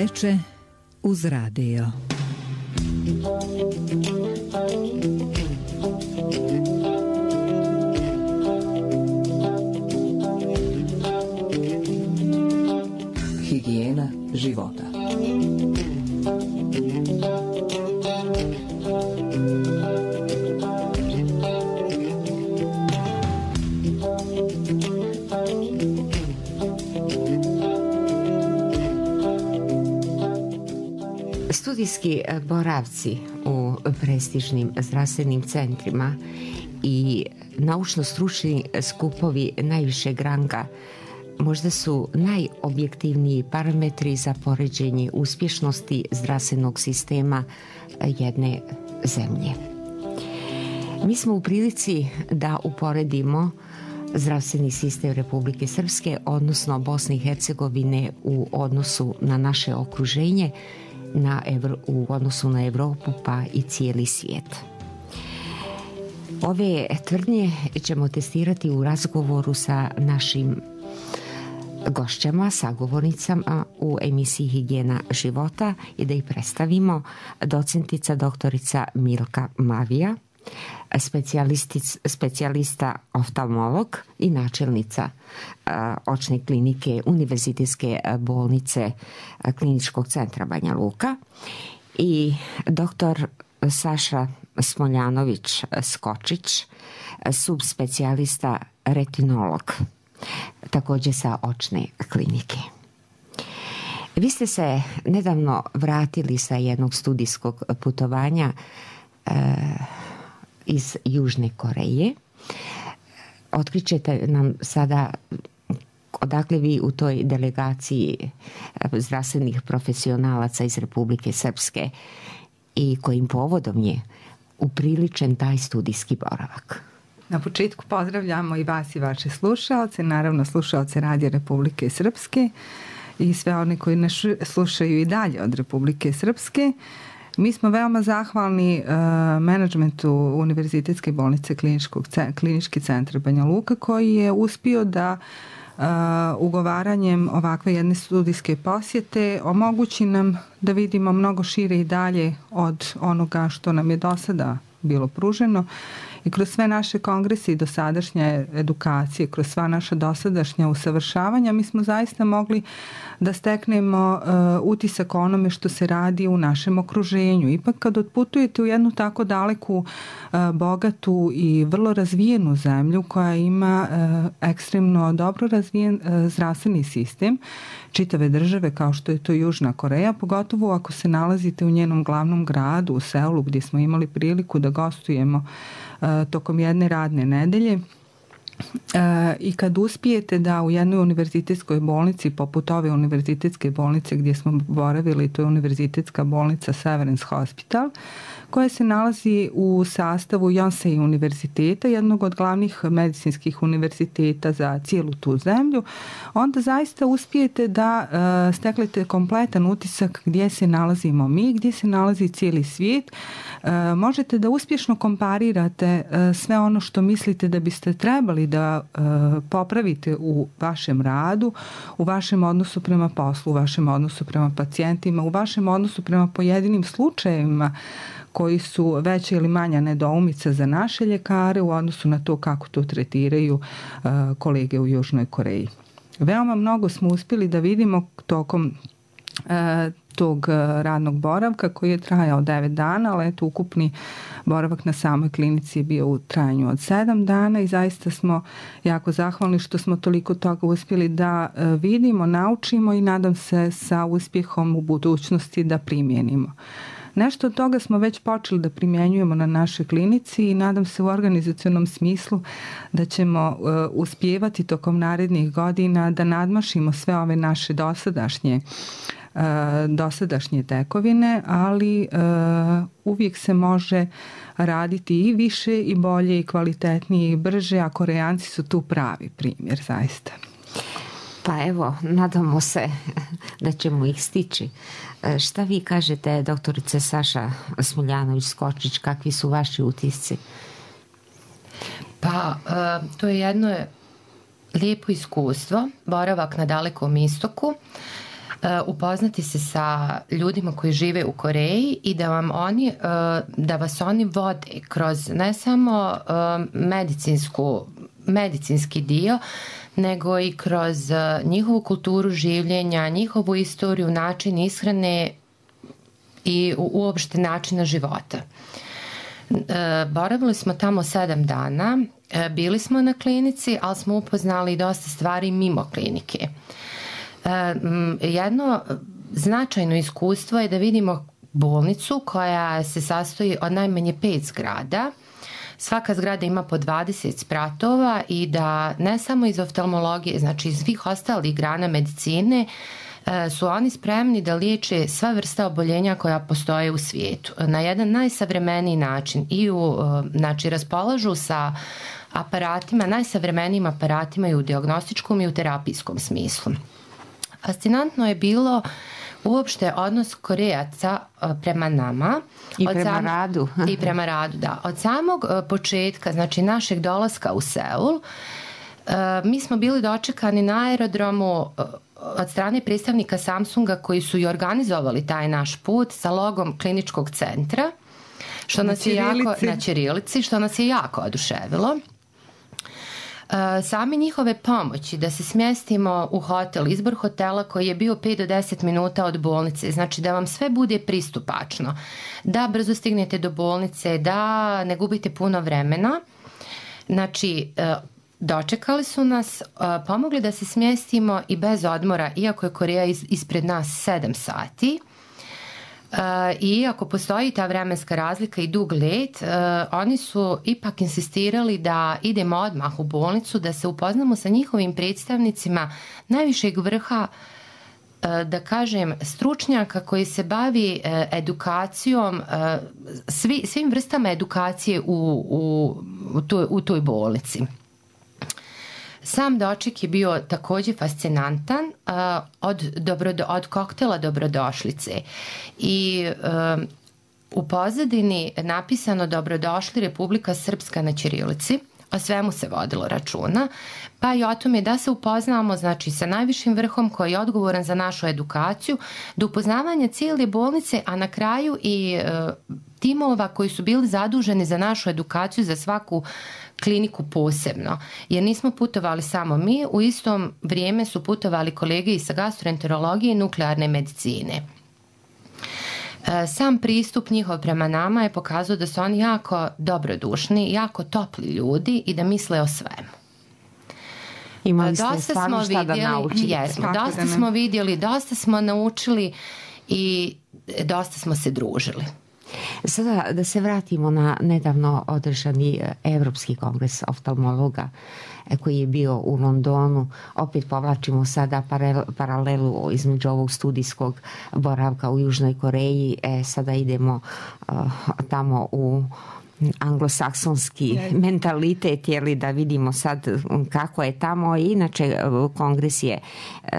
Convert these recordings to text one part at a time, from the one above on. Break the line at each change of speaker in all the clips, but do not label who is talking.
veče uz radio.
Higijena života.
Studijski boravci u prestižnim zdravstvenim centrima i naučno-stručni skupovi najvišeg ranga možda su najobjektivniji parametri za poređenje uspješnosti zdravstvenog sistema jedne zemlje. Mi smo u prilici da uporedimo zdravstveni sistem Republike Srpske, odnosno Bosne i Hercegovine u odnosu na naše okruženje, u odnosu na Evropu pa i cijeli svijet. Ove tvrdnje ćemo testirati u razgovoru sa našim gošćama, sagovornicama u emisiji Higijena života i da ih predstavimo. Docentica doktorica Milka Mavija, specijalista oftalmolog i načelnica očne klinike Univerzitetske bolnice Kliničkog centra Banja Luka, i doktor Saša Smoljanović-Skočić, subspecijalista retinolog, također sa očne klinike. Vi ste se nedavno vratili sa jednog studijskog putovanja iz Južne Koreje. Otkrićete nam sada odakle vi u toj delegaciji zdravstvenih profesionalaca iz Republike Srpske i kojim povodom je upriličen taj studijski boravak.
Na početku pozdravljamo i vas i vaše slušaoce, naravno slušaoce Radija Republike Srpske i sve one koji nas slušaju i dalje od Republike Srpske. Mi smo veoma zahvalni menadžmentu Univerzitetske bolnice Klinički centar Banja Luka, koji je uspio da ugovaranjem ovakve jedne studijske posjete omogući nam da vidimo mnogo šire i dalje od onoga što nam je do sada bilo pruženo. I kroz sve naše kongrese i dosadašnje edukacije, kroz sva naša dosadašnja usavršavanja, mi smo zaista mogli da steknemo utisak o onome što se radi u našem okruženju. Ipak kad otputujete u jednu tako daleku, bogatu i vrlo razvijenu zemlju koja ima ekstremno dobro razvijen zdravstveni sistem čitave države kao što je to Južna Koreja, pogotovo ako se nalazite u njenom glavnom gradu, u Seulu, gdje smo imali priliku da gostujemo tokom jedne radne nedelje. I kad uspijete da u jednoj univerzitetskoj bolnici, poput ove univerzitetske bolnice gdje smo boravili, to je univerzitetska bolnica Severance Hospital, koja se nalazi u sastavu Yonsei univerziteta, jednog od glavnih medicinskih univerziteta za cijelu tu zemlju, onda zaista uspijete da steklete kompletan utisak gdje se nalazimo mi, gdje se nalazi cijeli svijet. Možete da uspješno komparirate sve ono što mislite da biste trebali da popravite u vašem radu, u vašem odnosu prema poslu, u vašem odnosu prema pacijentima, u vašem odnosu prema pojedinim slučajevima koji su veća ili manja nedoumica za naše ljekare u odnosu na to kako to tretiraju kolege u Južnoj Koreji. Veoma mnogo smo uspjeli da vidimo tokom tog radnog boravka koji je trajao 9 dana, ali eto ukupni boravak na samoj klinici je bio u trajanju od 7 dana i zaista smo jako zahvalni što smo toliko toga uspjeli da vidimo, naučimo i nadam se sa uspjehom u budućnosti da primijenimo. Nešto od toga smo već počeli da primjenjujemo na našoj klinici i nadam se u organizacionom smislu da ćemo uspijevati tokom narednih godina da nadmašimo sve ove naše dosadašnje tekovine, ali uvijek se može raditi i više i bolje i kvalitetnije i brže, a Korejanci su tu pravi primjer zaista.
Pa evo, nadamo se da ćemo ih stići. Šta vi kažete, doktorice Saša Smoljanović-Skočić, kakvi su vaši utisci?
Pa, to je jedno lijepo iskustvo, boravak na Dalekom istoku.
upoznati se sa ljudima koji žive u Koreji i da vas oni vode kroz ne samo medicinski dio, nego i kroz njihovu kulturu življenja, njihovu istoriju, način ishrane i uopšte načina života. Boravili smo tamo 7 dana, bili smo na klinici, ali smo upoznali dosta stvari mimo klinike. Jedno značajno iskustvo je da vidimo bolnicu koja se sastoji od najmanje 5 zgrada. Svaka zgrada ima po 20 spratova i da ne samo iz oftalmologije, znači iz svih ostalih grana medicine, su oni spremni da liječe sva vrsta oboljenja koja postoje u svijetu na jedan najsavremeniji način i znači raspolažu sa aparatima, najsavremenijim aparatima i u dijagnostičkom i u terapijskom smislu. Fascinantno je bilo uopšte odnos Korejaca prema nama.
I prema radu.
I prema radu, da. Od samog početka, znači našeg dolaska u Seul, mi smo bili dočekani na aerodromu od strane predstavnika Samsunga koji su i organizovali taj naš put sa logom kliničkog centra, što nas je na ćirilici, što nas je jako oduševilo. Same njihove pomoći da se smjestimo u hotel, izbor hotela koji je bio 5 do 10 minuta od bolnice, znači da vam sve bude pristupačno, da brzo stignete do bolnice, da ne gubite puno vremena. Znači, dočekali su nas, pomogli da se smjestimo i bez odmora, iako je Koreja ispred nas 7 sati. I ako postoji ta vremenska razlika i dug let, oni su ipak insistirali da idemo odmah u bolnicu, da se upoznamo sa njihovim predstavnicima najvišeg vrha, da kažem, stručnjaka koji se bavi edukacijom, svim vrstama edukacije u toj bolnici. Sam doček je bio također fascinantan, od koktela dobrodošlice i u pozadini napisano dobrodošli Republika Srpska na ćirilici, o svemu se vodilo računa, pa i o tome da se upoznamo, znači, sa najvišim vrhom koji je odgovoran za našu edukaciju, do upoznavanja cijele bolnice, a na kraju i timova koji su bili zaduženi za našu edukaciju za svaku kliniku posebno, jer nismo putovali samo mi, u istom vrijeme su putovali kolege iz gastroenterologije i nuklearne medicine. Sam pristup njihov prema nama je pokazao da su oni jako dobrodušni, jako topli ljudi i da misle o svemu.
Imali ste stvarno šta da naučiti.
Jesmo, dosta smo vidjeli, dosta smo naučili i dosta smo se družili.
Sada da se vratimo na nedavno održani Evropski kongres oftalmologa koji je bio u Londonu. Opet povlačimo sada paralelu između ovog studijskog boravka u Južnoj Koreji. Sada idemo tamo u anglosaksonski mentalitet, jeli, da vidimo sad kako je tamo. Inače, kongres je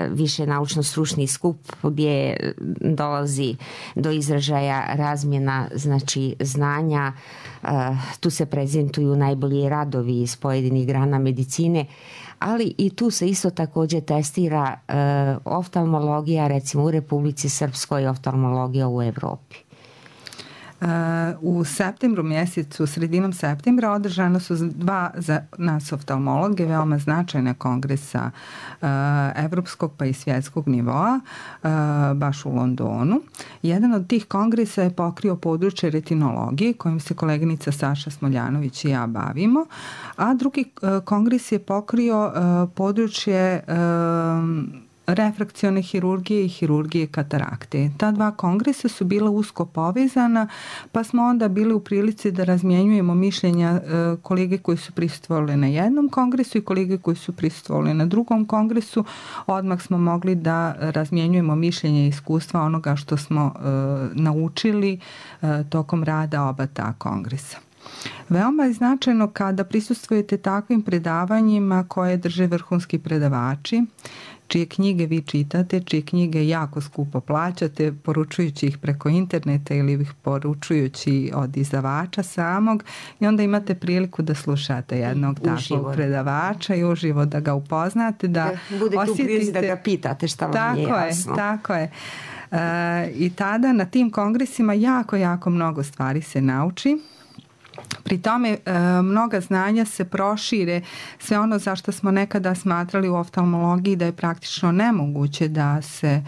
više naučno-stručni skup gdje dolazi do izražaja razmjena, znači, znanja. Tu se prezentuju najbolji radovi iz pojedinih grana medicine, ali i tu se isto također testira oftalmologija, recimo u Republici Srpskoj i oftalmologija u Evropi.
U septembru mjesecu, sredinom septembra, održano su 2 za nas oftalmologe veoma značajna kongresa evropskog pa i svjetskog nivoa, baš u Londonu. Jedan od tih kongresa je pokrio područje retinologije, kojim se koleginica Saša Smoljanović i ja bavimo, a drugi kongres je pokrio područje refrakcione hirurgije i hirurgije katarakte. Ta 2 kongresa su bila usko povezana, pa smo onda bili u prilici da razmjenjujemo mišljenja kolege koji su prisustvovali na jednom kongresu i kolege koji su prisustvovali na drugom kongresu. Odmah smo mogli da razmjenjujemo mišljenja i iskustva onoga što smo naučili tokom rada oba ta kongresa. Veoma je značajno kada prisustvujete takvim predavanjima koje drže vrhunski predavači, čije knjige vi čitate, čije knjige jako skupo plaćate, poručujući ih preko interneta ili ih poručujući od izdavača samog, i onda imate priliku da slušate jednog takvog predavača i uživo da ga upoznate, da
bude tu priliku da ga pitate šta vam je jasno.
Tako je. I tada na tim kongresima jako mnogo stvari se nauči. Pri tome mnoga znanja se prošire, sve ono za što smo nekada smatrali u oftalmologiji da je praktično nemoguće da se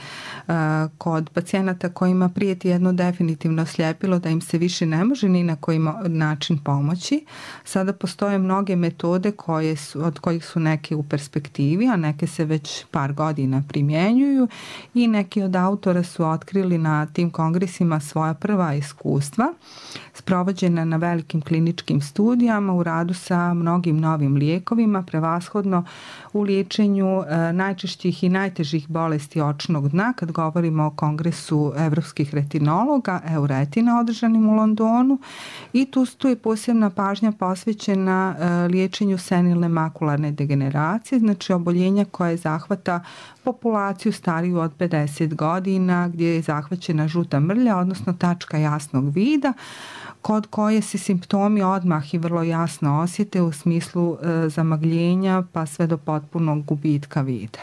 kod pacijenata kojima prijeti jedno definitivno sljepilo, da im se više ne može ni na koji način pomoći. Sada postoje mnoge metode od kojih su neke u perspektivi, a neke se već par godina primjenjuju, i neki od autora su otkrili na tim kongresima svoja prva iskustva sprovođena na velikim kliničkim studijama u radu sa mnogim novim lijekovima, prevashodno u liječenju najčešćih i najtežih bolesti očnog dna. Kad govorimo o kongresu evropskih retinologa, Euretina, održanim u Londonu, i tu je posebna pažnja posvećena liječenju senilne makularne degeneracije, znači oboljenja koje zahvata populaciju stariju od 50 godina, gdje je zahvaćena žuta mrlja, odnosno tačka jasnog vida, kod koje se simptomi odmah i vrlo jasno osjete u smislu zamagljenja pa sve do potpunog gubitka vida.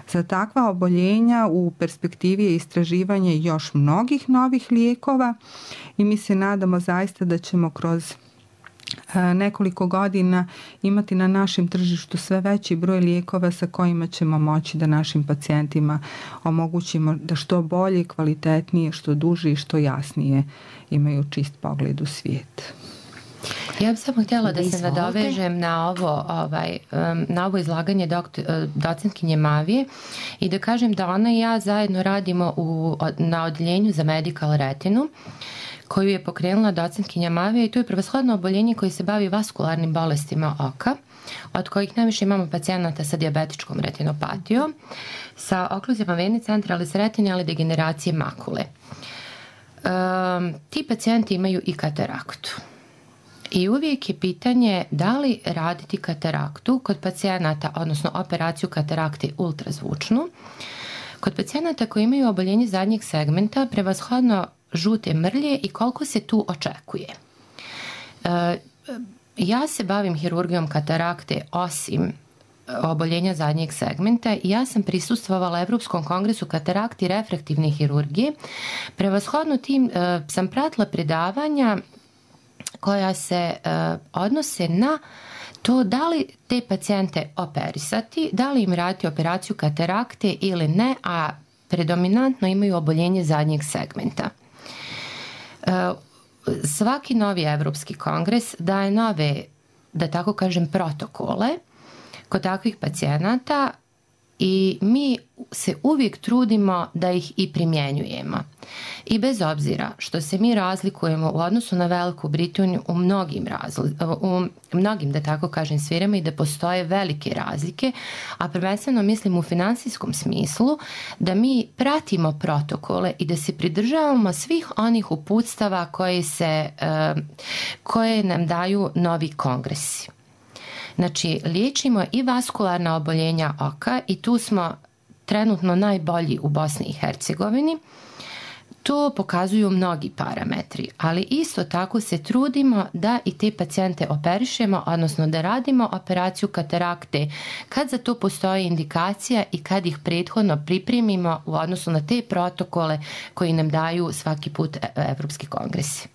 Za takva oboljenja u perspektivi je istraživanje još mnogih novih lijekova i mi se nadamo zaista da ćemo kroz nekoliko godina imati na našem tržištu sve veći broj lijekova sa kojima ćemo moći da našim pacijentima omogućimo da što bolje, kvalitetnije, što duže i što jasnije imaju čist pogled u svijet.
Ja bih samo htjela da se nadovežem na ovo izlaganje docentkinje Mavije i da kažem da ona i ja zajedno radimo na odeljenju za medical retinu, koju je pokrenula docentkinja Mavija, i to je prevashodno oboljenje koje se bavi vaskularnim bolestima oka, od kojih najviše imamo pacijenata sa dijabetičkom retinopatijom, sa okluzijama vene centralis retine, ali degeneracije makule. Ti pacijenti imaju i kataraktu. I uvijek je pitanje da li raditi kataraktu kod pacijenata, odnosno operaciju katarakte ultrazvučnu, kod pacijenata koji imaju oboljenje zadnjeg segmenta, prevashodno žute mrlje, i koliko se tu očekuje. Ja se bavim hirurgijom katarakte osim oboljenja zadnjeg segmenta i ja sam prisustvovala Evropskom kongresu katarakte i refraktivne hirurgije. Prevashodno tim sam pratila predavanja koja se odnose na to da li te pacijente operisati, da li im raditi operaciju katarakte ili ne, a predominantno imaju oboljenje zadnjeg segmenta. Svaki novi Evropski kongres daje nove, da tako kažem, protokole kod takvih pacijenata i mi se uvijek trudimo da ih i primjenjujemo. I bez obzira što se mi razlikujemo u odnosu na Veliku Britaniju u mnogim, da tako kažem, sferama i da postoje velike razlike, a prvenstveno mislim u finansijskom smislu, da mi pratimo protokole i da se pridržavamo svih onih uputstava koje nam daju novi kongresi. Znači, liječimo i vaskularna oboljenja oka i tu smo trenutno najbolji u Bosni i Hercegovini. To pokazuju mnogi parametri, ali isto tako se trudimo da i te pacijente operišemo, odnosno da radimo operaciju katarakte kad za to postoji indikacija i kad ih prethodno pripremimo u odnosu na te protokole koji nam daju svaki put Evropski kongresi.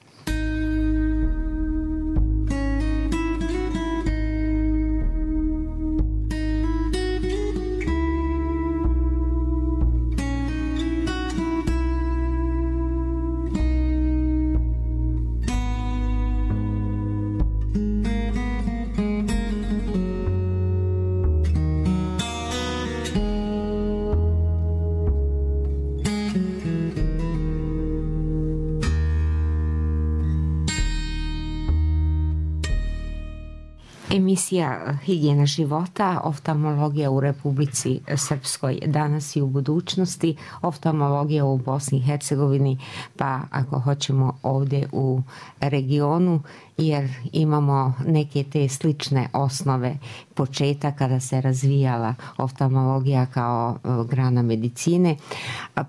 Emisija Higijena života, oftalmologija u Republici Srpskoj danas i u budućnosti, oftalmologija u Bosni i Hercegovini, pa ako hoćemo ovdje u regionu, jer imamo neke te slične osnove početka kada se razvijala oftalmologija kao grana medicine,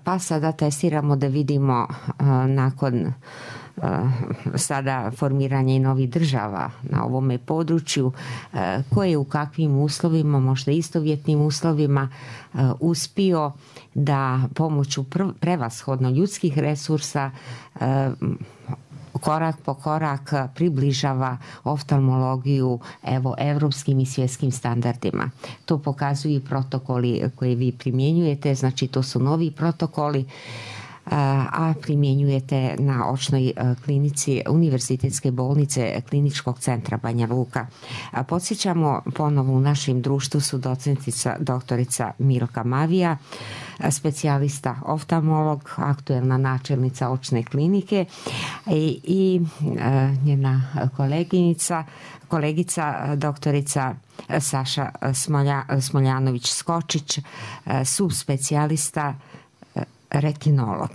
pa sada testiramo da vidimo nakon sada formiranje i novih država na ovome području, koje je u kakvim uslovima, možda istovjetnim uslovima, uspio da pomoću prevashodno ljudskih resursa korak po korak približava oftalmologiju evropskim i svjetskim standardima. To pokazuju i protokoli koje vi primjenjujete, znači to su novi protokoli, a primjenjujete na očnoj klinici Univerzitetske bolnice Kliničkog centra Banja Luka. Podsjećamo ponovo, u našem društvu su docentica doktorica Milka Mavija, specijalista oftalmolog, aktuelna načelnica očne klinike, i njena kolegica doktorica Saša Smoljanović-Skočić, subspecijalista retinolog.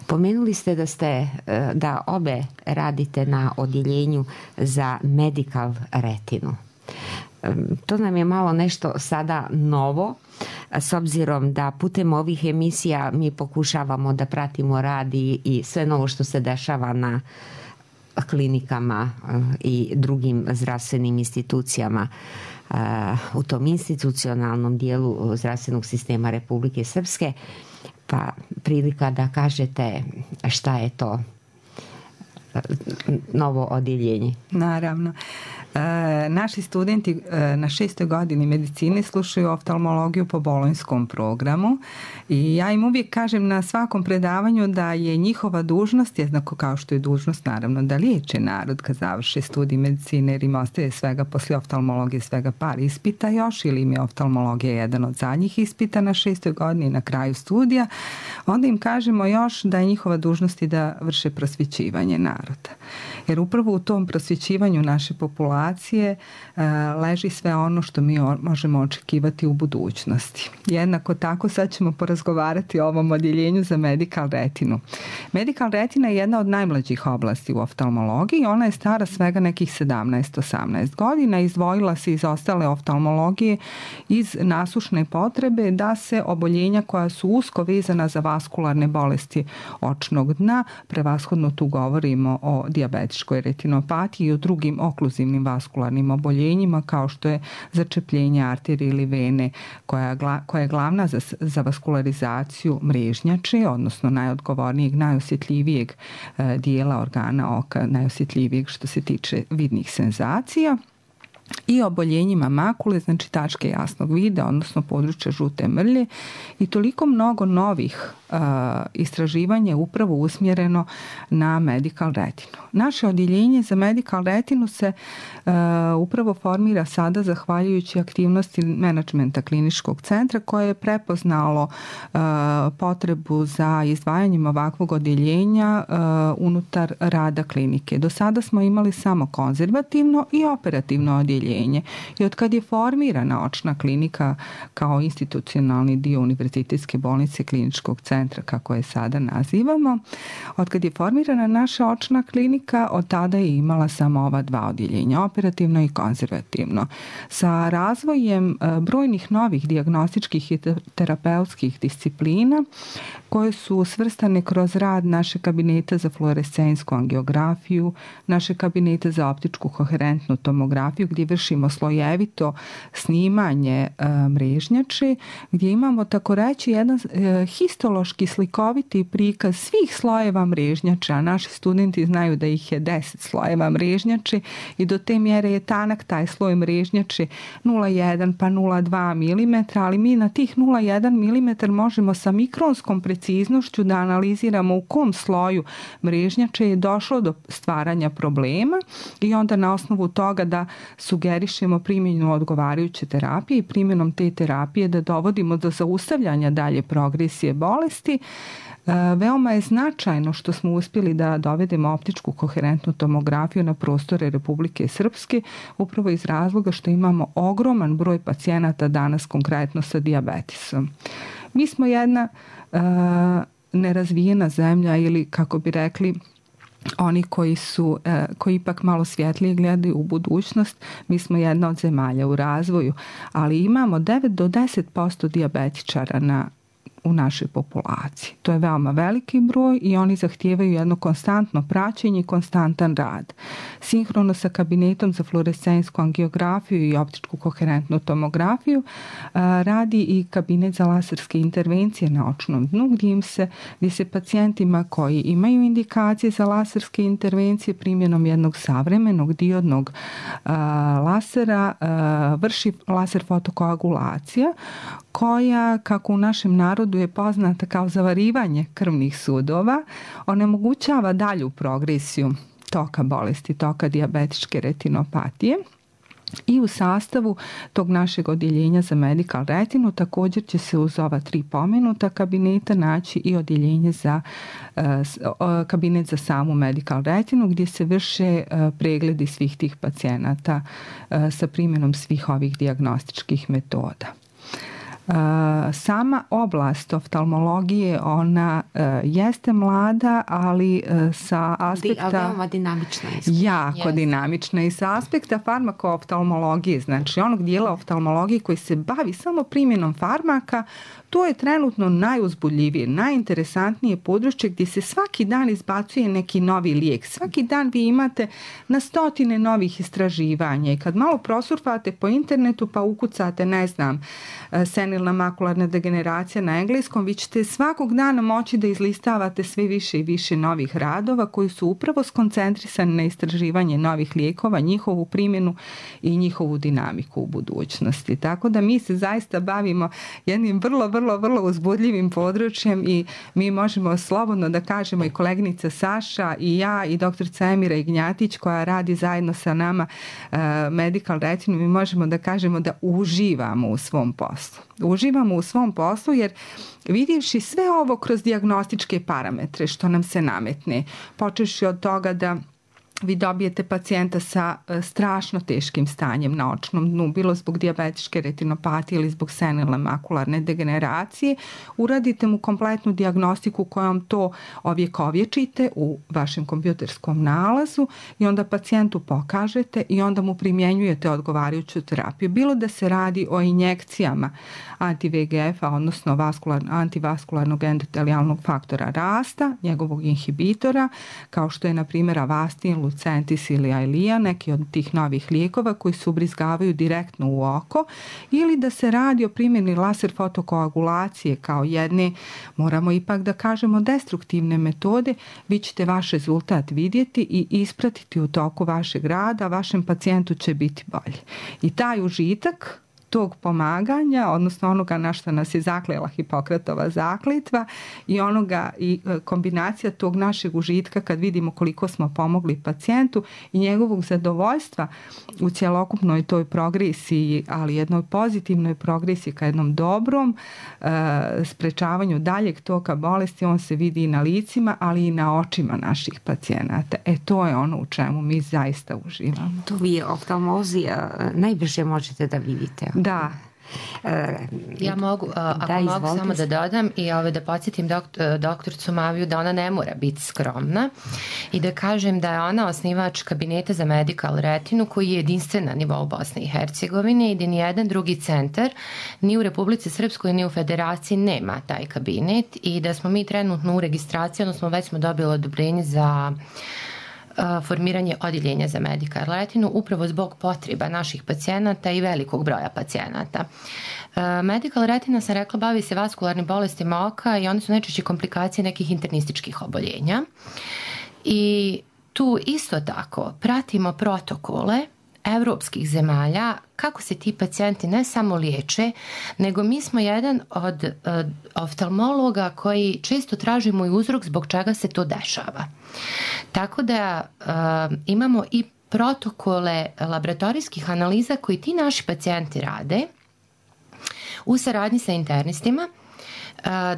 Pomenuli ste da obe radite na odjeljenju za medical retinu. To nam je malo nešto sada novo, s obzirom da putem ovih emisija mi pokušavamo da pratimo rad i sve novo što se dešava na klinikama i drugim zdravstvenim institucijama u tom institucionalnom dijelu zdravstvenog sistema Republike Srpske. Pa prilika da kažete šta je to novo odjeljenje.
Naravno. Naši studenti na 6. godini medicine slušaju oftalmologiju po bolonjskom programu i ja im uvijek kažem na svakom predavanju da je njihova dužnost, jednako kao što je dužnost naravno da liječe narod kad završe studij medicine, jer im ostaje svega poslije oftalmologije svega par ispita još, ili im je oftalmologija jedan od zadnjih ispita na 6. godini na kraju studija, onda im kažemo još da je njihova dužnost i da vrše prosvjećivanje naroda. Jer upravo u tom prosvjećivanju naše populacije leži sve ono što mi možemo očekivati u budućnosti. Jednako tako sad ćemo porazgovarati o ovom odjeljenju za medical retinu. Medical retina je jedna od najmlađih oblasti u oftalmologiji. Ona je stara svega nekih 17-18 godina. Izdvojila se iz ostale oftalmologije iz nasušne potrebe da se oboljenja koja su usko vezana za vaskularne bolesti očnog dna, prevashodno tu govorimo o dijabetičkoj retinopatiji i o drugim okluzivnim vaskularnim oboljenjima kao što je začepljenje arterije ili vene koja je glavna za vaskularizaciju mrežnjače, odnosno najodgovornijeg, najosjetljivijeg dijela organa oka, najosjetljivijeg što se tiče vidnih senzacija, i oboljenjima makule, znači tačke jasnog vida, odnosno područja žute mrlje, i toliko mnogo novih istraživanja je upravo usmjereno na medical retinu. Naše odjeljenje za medical retinu se upravo formira sada zahvaljujući aktivnosti menadžmenta kliničkog centra koje je prepoznalo potrebu za izdvajanjem ovakvog odjeljenja unutar rada klinike. Do sada smo imali samo konzervativno i operativno odjeljenje i od kad je formirana očna klinika kao institucionalni dio Univerzitetske bolnice Kliničkog centra, kako je sada nazivamo, od kad je formirana naša očna klinika, od tada je imala samo ova dva odjeljenja, operativno i konzervativno. Sa razvojem brojnih novih dijagnostičkih i terapeutskih disciplina koje su svrstane kroz rad naše kabineta za fluorescensku angiografiju, naše kabinete za optičku koherentnu tomografiju gdje vršimo slojevito snimanje mrežnjače, gdje imamo tako reći jedan histološki slikoviti prikaz svih slojeva mrežnjača. Naši studenti znaju da ih je 10 slojeva mrežnjače i do te mjere je tanak taj sloj mrežnjače 0,1 pa 0,2 mm, ali mi na tih 0,1 mm možemo sa mikronskom preciznošću da analiziramo u kom sloju mrežnjače je došlo do stvaranja problema i onda na osnovu toga da sugerišemo primjenu odgovarajuće terapije i primjenom te terapije da dovodimo do zaustavljanja dalje progresije bolesti. Veoma je značajno što smo uspjeli da dovedemo optičku koherentnu tomografiju na prostore Republike Srpske, upravo iz razloga što imamo ogroman broj pacijenata danas konkretno sa dijabetisom. Mi smo jedna nerazvijena zemlja ili, kako bi rekli, oni koji ipak malo svjetlije gledaju u budućnost, mi smo jedna od zemalja u razvoju, ali imamo 9 do 10% dijabetičara u našoj populaciji. To je veoma veliki broj i oni zahtijevaju jedno konstantno praćenje i konstantan rad. Sinhrono sa kabinetom za fluorescentsku angiografiju i optičku koherentnu tomografiju radi i kabinet za laserske intervencije na očnom dnu gdje se pacijentima koji imaju indikacije za laserske intervencije primjenom jednog savremenog diodnog lasera vrši laser fotokoagulacija koja, kako u našem narodu je poznata kao zavarivanje krvnih sudova, onemogućava dalju progresiju toka bolesti, toka dijabetičke retinopatije. I u sastavu tog našeg odjeljenja za medical retinu također će se uz ova 3 pomenuta kabineta naći i odjeljenje za kabinet za samu medical retinu gdje se vrše pregledi svih tih pacijenata sa primjenom svih ovih dijagnostičkih metoda. Sama oblast oftalmologije, ona jeste mlada, ali sa aspekta...
veoma dinamična.
Jako dinamična i sa aspekta farmakooftalmologije, znači onog dijela oftalmologije koji se bavi samo primjenom farmaka, to je trenutno najuzbudljivije, najinteresantnije područje gdje se svaki dan izbacuje neki novi lijek. Svaki dan vi imate na stotine novih istraživanja i kad malo prosurfate po internetu pa ukucate, ne znam, senilna makularna degeneracija na engleskom, vi ćete svakog dana moći da izlistavate sve više i više novih radova koji su upravo skoncentrisani na istraživanje novih lijekova, njihovu primjenu i njihovu dinamiku u budućnosti. Tako da mi se zaista bavimo jednim vrlo uzbudljivim područjem i mi možemo slobodno da kažemo i koleginica Saša i ja i doktorica Emira Ignjatić koja radi zajedno sa nama medical retinu, mi možemo da kažemo da uživamo u svom poslu. Uživamo u svom poslu jer vidjevši sve ovo kroz dijagnostičke parametre što nam se nametne, počevši od toga da vi dobijete pacijenta sa strašno teškim stanjem na očnom dnu, bilo zbog dijabetičke retinopatije ili zbog senilne makularne degeneracije, uradite mu kompletnu dijagnostiku kojom to ovjekovječite u vašem kompjuterskom nalazu i onda pacijentu pokažete i onda mu primjenjujete odgovarajuću terapiju. Bilo da se radi o injekcijama anti-VEGF-a, odnosno antivaskularnog endotelijalnog faktora rasta, njegovog inhibitora, kao što je na primjer Avastin, Lucentis ili Eylea, neki od tih novih lijekova koji se ubrizgavaju direktno u oko, ili da se radi o primjeni laser fotokoagulacije kao jedne, moramo ipak da kažemo, destruktivne metode, vi ćete vaš rezultat vidjeti i ispratiti u toku vašeg rada, vašem pacijentu će biti bolje. I taj užitak tog pomaganja, odnosno onoga na što nas je zaklela Hipokratova zakletva i onoga i kombinacija tog našeg užitka kad vidimo koliko smo pomogli pacijentu i njegovog zadovoljstva u cjelokupnoj toj progresiji, ali jednoj pozitivnoj progresiji ka jednom dobrom sprečavanju daljeg toka bolesti, on se vidi i na licima, ali i na očima naših pacijenata. To je ono u čemu mi zaista uživamo.
To vi oftalmozi najbrže možete da vidite.
Da.
Ja mogu, mogu samo da dodam i da podsjetim doktoricu Maviju da ona ne mora biti skromna i da kažem da je ona osnivač kabineta za medical retinu koji je jedinstven na nivou Bosne i Hercegovine i da nijedan drugi centar ni u Republici Srpskoj ni u Federaciji nema taj kabinet i da smo mi trenutno u registraciji, odnosno već smo dobili odobrenje za formiranje odjeljenja za medical retinu upravo zbog potreba naših pacijenata i velikog broja pacijenata. Medical retina, sam rekla, bavi se vaskularnim bolestima oka i one su najčešće komplikacije nekih internističkih oboljenja. I tu isto tako pratimo protokole evropskih zemalja kako se ti pacijenti ne samo liječe, nego mi smo jedan od oftalmologa koji često tražimo i uzrok zbog čega se to dešava. Tako da imamo i protokole laboratorijskih analiza koji ti naši pacijenti rade u saradnji sa internistima,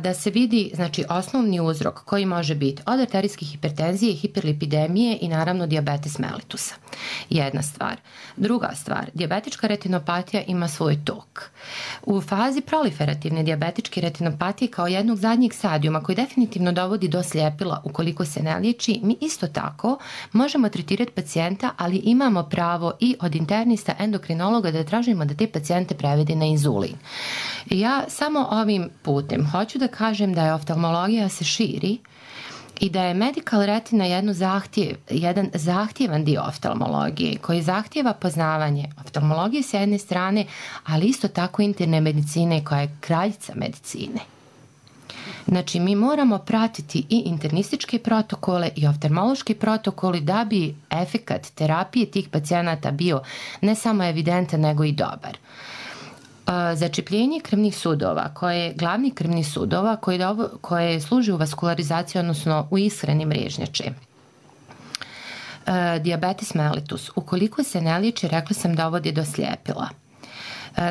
da se vidi, znači, osnovni uzrok koji može biti od arterijske hipertenzije, hiperlipidemije i naravno dijabetes mellitusa. Jedna stvar. Druga stvar, dijabetička retinopatija ima svoj tok. U fazi proliferativne dijabetičke retinopatije kao jednog zadnjeg stadijuma koji definitivno dovodi do sljepila ukoliko se ne liječi, mi isto tako možemo tretirati pacijenta, ali imamo pravo i od internista endokrinologa da tražimo da te pacijente prevede na inzulin. Ja samo ovim putem hoću da kažem da je oftalmologija se širi i da je medical retina jedan zahtjevan dio oftalmologije koji zahtjeva poznavanje oftalmologije s jedne strane, ali isto tako interne medicine koja je kraljica medicine. Znači, mi moramo pratiti i internističke protokole i oftalmološke protokole da bi efekat terapije tih pacijenata bio ne samo evidentan, nego i dobar. Začepljenje krvnih sudova, koje je glavni krvnih sudova koje služi u vaskularizaciji, odnosno u ishrani mrežnjače. Dijabetes mellitus, ukoliko se ne liječi, rekla sam, dovodi do sljepila.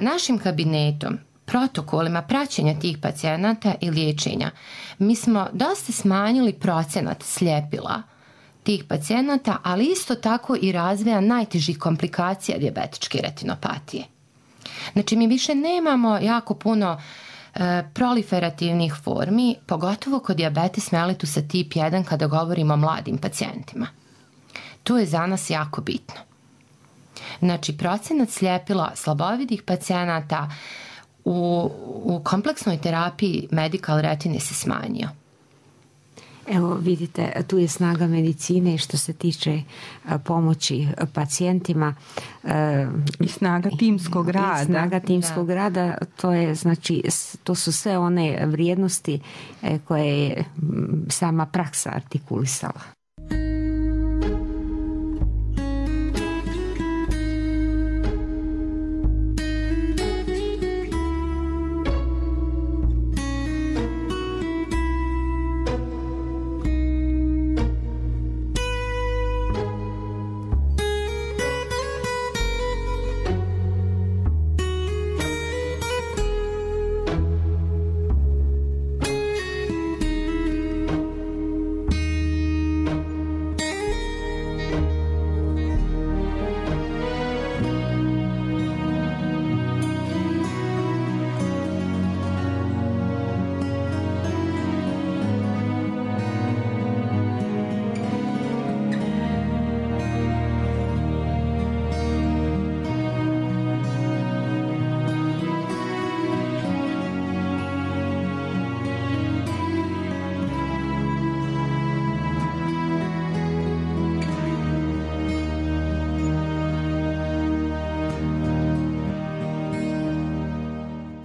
Našim kabinetom, protokolima praćenja tih pacijenata i liječenja, mi smo dosta smanjili procenat sljepila tih pacijenata, ali isto tako i razvoja najtežih komplikacija dijabetičke retinopatije. Znači, mi više nemamo jako puno proliferativnih formi, pogotovo kod dijabetes mellitusa tip 1 kada govorimo o mladim pacijentima. To je za nas jako bitno. Znači, procenat sljepila slabovidih pacijenata u kompleksnoj terapiji medical retine se smanjio.
Evo vidite, tu je snaga medicine što se tiče pomoći pacijentima.
I snaga timskog rada.
Snaga timskog rada, to je, znači, to su sve one vrijednosti koje je sama praksa artikulisala.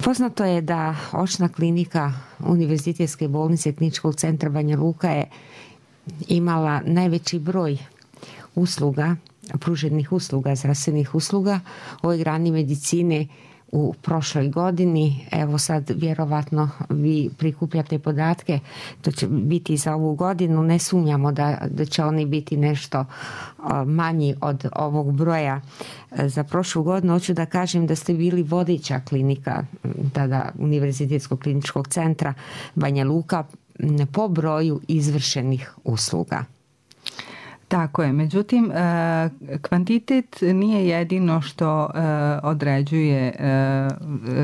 Poznato je da očna klinika Univerzitetske bolnice Kliničkog centra Banja Luka je imala najveći broj usluga, pruženih usluga, zdravstvenih usluga u ovoj grani medicine u prošloj godini. Evo sad vjerovatno vi prikupljate podatke, to će biti za ovu godinu, ne sumnjamo da će oni biti nešto manji od ovog broja za prošlu godinu. Hoću da kažem da ste bili vodeća klinika tada Univerzitetskog kliničkog centra Banja Luka po broju izvršenih usluga.
Tako je, međutim kvantitet nije jedino što određuje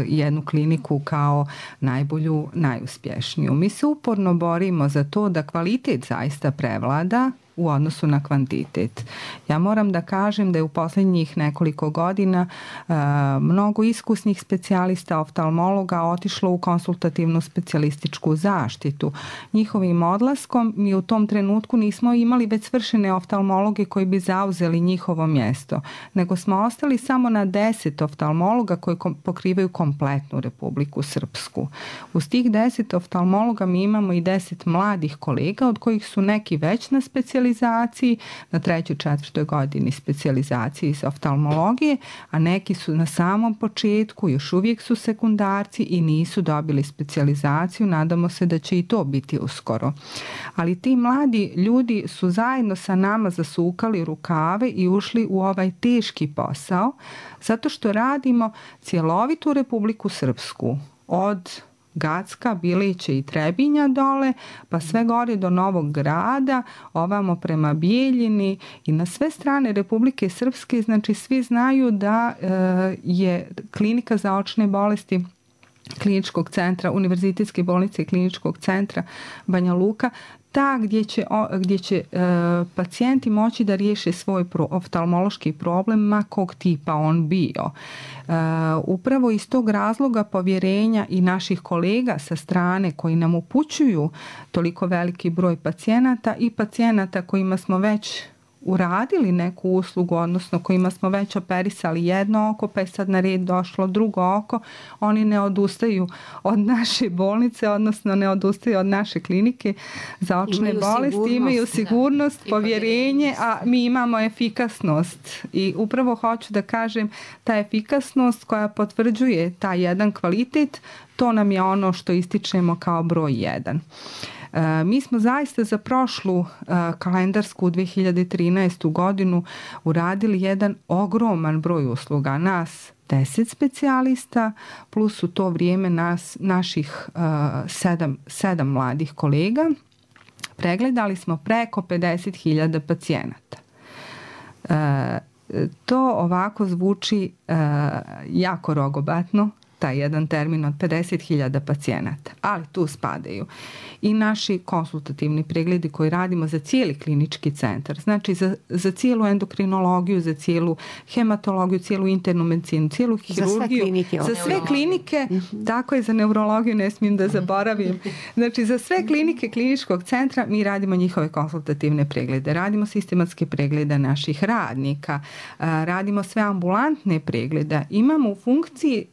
jednu kliniku kao najbolju, najuspješniju. Mi se uporno borimo za to da kvalitet zaista prevlada u odnosu na kvantitet. Ja moram da kažem da je u posljednjih nekoliko godina mnogo iskusnih specijalista oftalmologa otišlo u konsultativnu specijalističku zaštitu. Njihovim odlaskom mi u tom trenutku nismo imali već svršene oftalmologe koji bi zauzeli njihovo mjesto, nego smo ostali samo na 10 oftalmologa koji pokrivaju kompletnu Republiku Srpsku. Uz tih 10 oftalmologa mi imamo i 10 mladih kolega, od kojih su neki već na specijalističkoj specijalizaciji, na 3. 4. godini specijalizaciji iz oftalmologije, a neki su na samom početku, još uvijek su sekundarci i nisu dobili specijalizaciju. Nadamo se da će i to biti uskoro. Ali ti mladi ljudi su zajedno sa nama zasukali rukave i ušli u ovaj teški posao, zato što radimo cjelovitu Republiku Srpsku, od Gacka, Bilića i Trebinja dole, pa sve gore do Novog Grada, ovamo prema Bijeljini i na sve strane Republike Srpske. Znači svi znaju da je klinika za očne bolesti Kliničkog centra, Univerzitetske bolnice i Kliničkog centra Banja Luka ta gdje će pacijenti moći da riješe svoj oftalmološki problem, ma kog tipa on bio. Upravo iz tog razloga povjerenja i naših kolega sa strane koji nam upućuju toliko veliki broj pacijenata i pacijenata kojima smo već uradili neku uslugu, odnosno kojima smo već operisali jedno oko, pa je sad na red došlo drugo oko, oni ne odustaju od naše bolnice, odnosno ne odustaju od naše klinike za očne bolesti, imaju sigurnost, povjerenje, a mi imamo efikasnost. I upravo hoću da kažem, ta efikasnost koja potvrđuje taj jedan kvalitet, to nam je ono što ističemo kao broj 1. Mi smo zaista za prošlu kalendarsku 2013. godinu uradili jedan ogroman broj usluga. Nas 10 specijalista plus u to vrijeme naših 7 mladih kolega. Pregledali smo preko 50.000 pacijenata. To ovako zvuči jako rogobatno, taj jedan termin od 50.000 pacijenata, ali tu spadaju i naši konsultativni pregledi koji radimo za cijeli klinički centar, znači za cijelu endokrinologiju, za cijelu hematologiju, cijelu internu medicinu, cijelu hirurgiju, za sve klinike, tako je, za neurologiju ne smijem da zaboravim, znači za sve klinike kliničkog centra mi radimo njihove konsultativne preglede, radimo sistematske preglede naših radnika, radimo sve ambulantne preglede, imamo u funkciji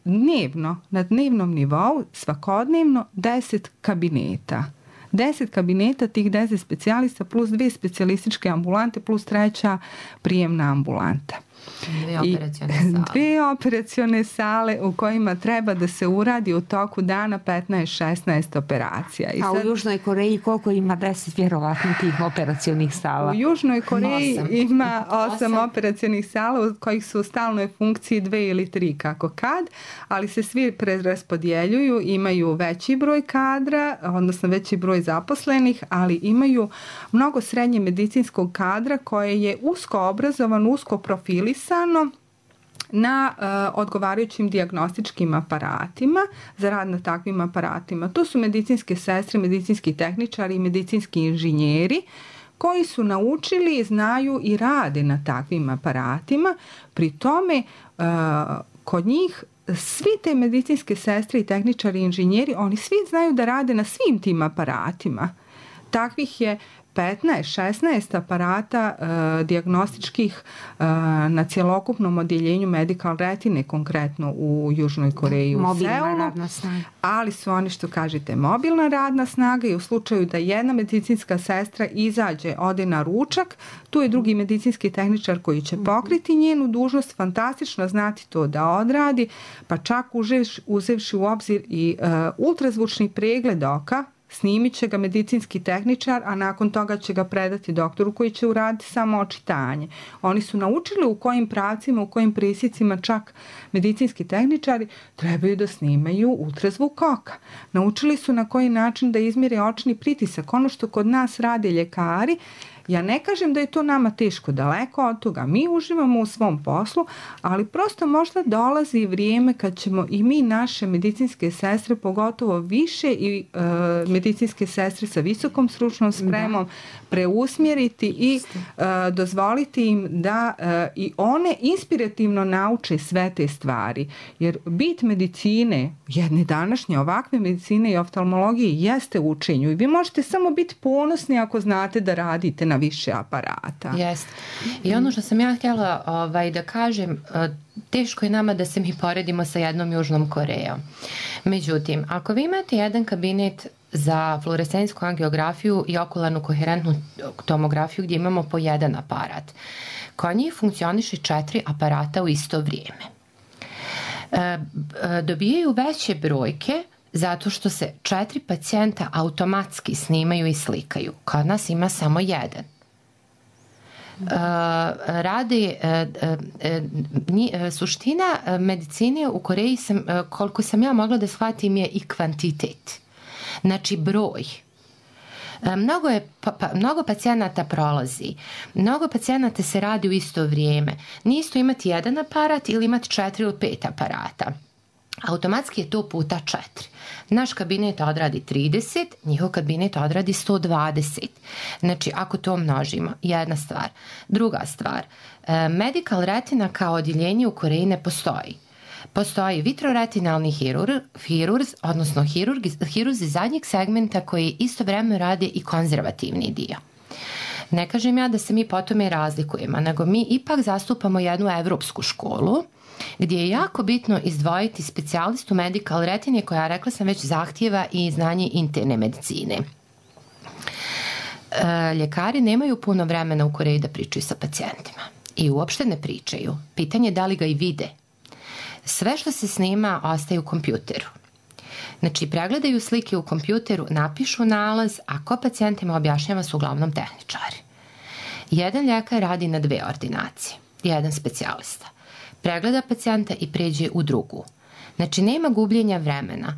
na dnevnom nivou svakodnevno 10 kabineta. 10 kabineta, tih 10 specijalista plus 2 specijalističke ambulante plus 3. prijemna ambulanta. 2 operacione sale u kojima treba da se uradi u toku dana 15-16 operacija.
A u Južnoj Koreji koliko ima 10 vjerovatno tih operacionih sala?
U Južnoj Koreji ima 8 operacionih sala u kojih su u stalnoj funkciji 2 ili 3 kako kad, ali se svi preraspodjeljuju, imaju veći broj kadra, odnosno veći broj zaposlenih, ali imaju mnogo srednje medicinskog kadra koje je usko obrazovan, usko profilisano na odgovarajućim dijagnostičkim aparatima, za rad na takvim aparatima. To su medicinske sestre, medicinski tehničari i medicinski inženjeri koji su naučili, znaju i rade na takvim aparatima. Pri tome, kod njih svi te medicinske sestre i tehničari i inženjeri, oni svi znaju da rade na svim tim aparatima. Takvih je 15-16 aparata dijagnostičkih na cjelokupnom odjeljenju Medical Retine, konkretno u Južnoj Koreji, u Seulu, ali su oni, što kažete, mobilna radna snaga i u slučaju da jedna medicinska sestra izađe, ode na ručak, tu je drugi medicinski tehničar koji će pokriti njenu dužnost, fantastično znati to da odradi, pa čak uzevši u obzir i ultrazvučni pregled oka, snimit će ga medicinski tehničar, a nakon toga će ga predati doktoru koji će uraditi samo očitanje. Oni su naučili u kojim pravcima, u kojim presjecima čak medicinski tehničari trebaju da snimaju ultrazvuk oka. Naučili su na koji način da izmjere očni pritisak. Ono što kod nas rade ljekari, ja ne kažem da je to nama teško, daleko od toga. Mi uživamo u svom poslu, ali prosto možda dolazi vrijeme kad ćemo i mi naše medicinske sestre, pogotovo više i medicinske sestre sa visokom stručnom spremom, preusmjeriti i dozvoliti im da i one inspirativno nauče sve te stvari. Jer bit medicine, jedne današnje ovakve medicine i oftalmologije, jeste u učenju i vi možete samo biti ponosni ako znate da radite na više aparata.
Jeste. I ono što sam ja htjela da kažem, teško je nama da se mi poredimo sa jednom Južnom Korejom. Međutim, ako vi imate jedan kabinet za fluorescentsku angiografiju i okularnu koherentnu tomografiju gdje imamo po jedan aparat. Kod njih funkcioniše 4 aparata u isto vrijeme. Dobijaju veće brojke zato što se 4 pacijenta automatski snimaju i slikaju. Kod nas ima samo jedan. Suština medicine u Koreji, koliko sam ja mogla da shvatim, je i kvantitet. Znači broj. Mnogo pacijenata prolazi, mnogo pacijenata se radi u isto vrijeme. Nije isto imati jedan aparat ili imati 4 ili 5 aparata. Automatski je to puta 4. Naš kabinet odradi 30, njihov kabinet odradi 120. Znači, ako to množimo, jedna stvar. Druga stvar, medical retina kao odjeljenje u Koreji ne postoji. Postoji vitroretinalni hirurz, odnosno hirurzi zadnjeg segmenta koji istovremeno rade i konzervativni dio. Ne kažem ja da se mi po tome razlikujemo, nego mi ipak zastupamo jednu evropsku školu gdje je jako bitno izdvojiti specijalistu medical retine koja, rekla sam već, zahtijeva i znanje interne medicine. Ljekari nemaju puno vremena u Koreji da pričaju sa pacijentima i uopšte ne pričaju. Pitanje je da li ga i vide. Sve što se snima ostaje u kompjuteru. Znači, pregledaju slike u kompjuteru, napišu nalaz, a ko pacijentima objašnjava su uglavnom tehničari. Jedan ljekar radi na 2 ordinacije, jedan specijalista. Pregleda pacijenta i pređe u drugu. Znači, nema gubljenja vremena.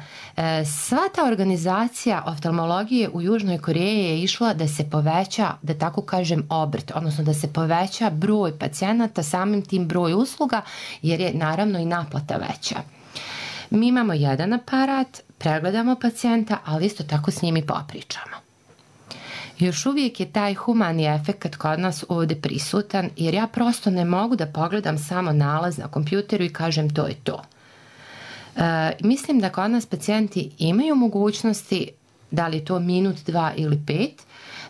Sva ta organizacija oftalmologije u Južnoj Koreji je išla da se poveća, da tako kažem, obrt, odnosno da se poveća broj pacijenata, samim tim broj usluga, jer je naravno i naplata veća. Mi imamo jedan aparat, pregledamo pacijenta, ali isto tako s njim i popričamo. Još uvijek je taj humani efekt kod nas ovdje prisutan, jer ja prosto ne mogu da pogledam samo nalaz na kompjuteru i kažem to je to. Mislim da kod nas pacijenti imaju mogućnosti, da li je to minut, 2 ili 5,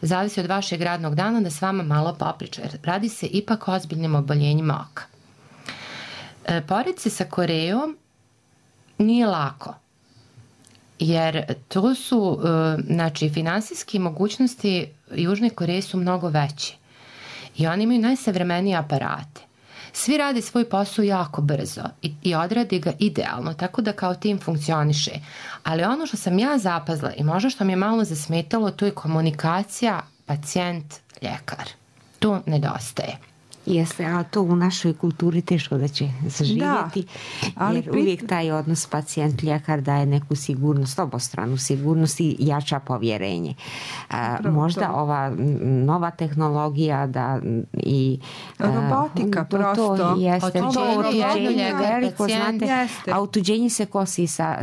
zavisi od vašeg radnog dana, da s vama malo popriča, jer radi se ipak o ozbiljnim oboljenjima oka. Pored se sa Korejom nije lako, jer to su, znači, finansijske mogućnosti Južne Koreje su mnogo veće i oni imaju najsavremenije aparate. Svi radi svoj posao jako brzo i odradi ga idealno, tako da kao tim funkcioniše. Ali ono što sam ja zapazila i možda što mi je malo zasmetalo, to je komunikacija pacijent-ljekar. To nedostaje.
Jeste, ali to u našoj kulturi teško da će zaživjeti, jer uvijek taj odnos pacijent-ljekar daje neku sigurnost, obostranu sigurnost i jača povjerenje. Možda ova nova tehnologija da i
robotika prosto.
To jeste, to otuđenje veliko, znate, a otuđenje se kosi sa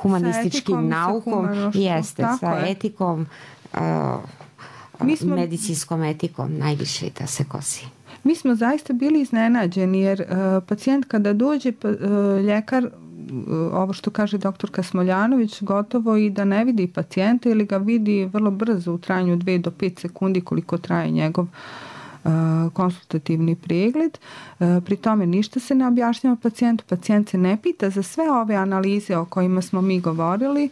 humanističkim naukom, jeste, sa etikom, medicinskom etikom najviše da se kosi.
Mi smo zaista bili iznenađeni jer pacijent kada dođe, ljekar, ovo što kaže doktorka Smoljanović, gotovo i da ne vidi pacijenta ili ga vidi vrlo brzo u trajanju 2 do 5 sekundi koliko traje njegov konsultativni pregled. Pri tome ništa se ne objašnjava pacijentu, pacijent se ne pita za sve ove analize o kojima smo mi govorili,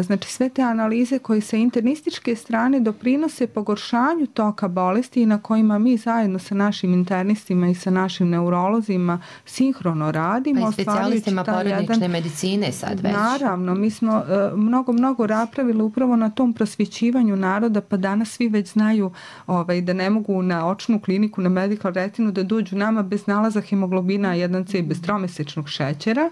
znači sve te analize koje sa internističke strane doprinose pogoršanju toka bolesti i na kojima mi zajedno sa našim internistima i sa našim neurolozima sinhrono radimo.
Pa i specijalistima porodične medicine sad već.
Naravno, mi smo mnogo napravili upravo na tom prosvjećivanju naroda, pa danas svi već znaju da ne mogu na očnu kliniku, na medical retinu da dođu nama bez nalaza hemoglobina 1C, bez tromesečnog šećera,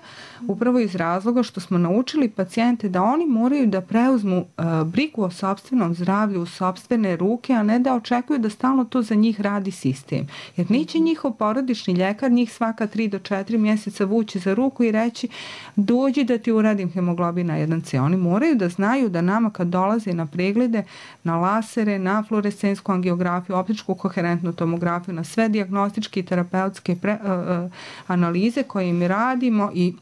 upravo iz razloga što smo naučili pacijente da oni moraju da preuzmu brigu o sopstvenom zdravlju u sopstvene ruke, a ne da očekuju da stalno to za njih radi sistem. Jer neće njihov porodični ljekar njih svaka 3 do 4 mjeseca vući za ruku i reći dođi da ti uradim hemoglobina 1C. Oni moraju da znaju da nama kad dolaze na preglede, na lasere, na fluorescentsku angiografiju, optičku koherentnu tomografiju, na sve dijagnostičke i terapeutske analize koje mi radimo i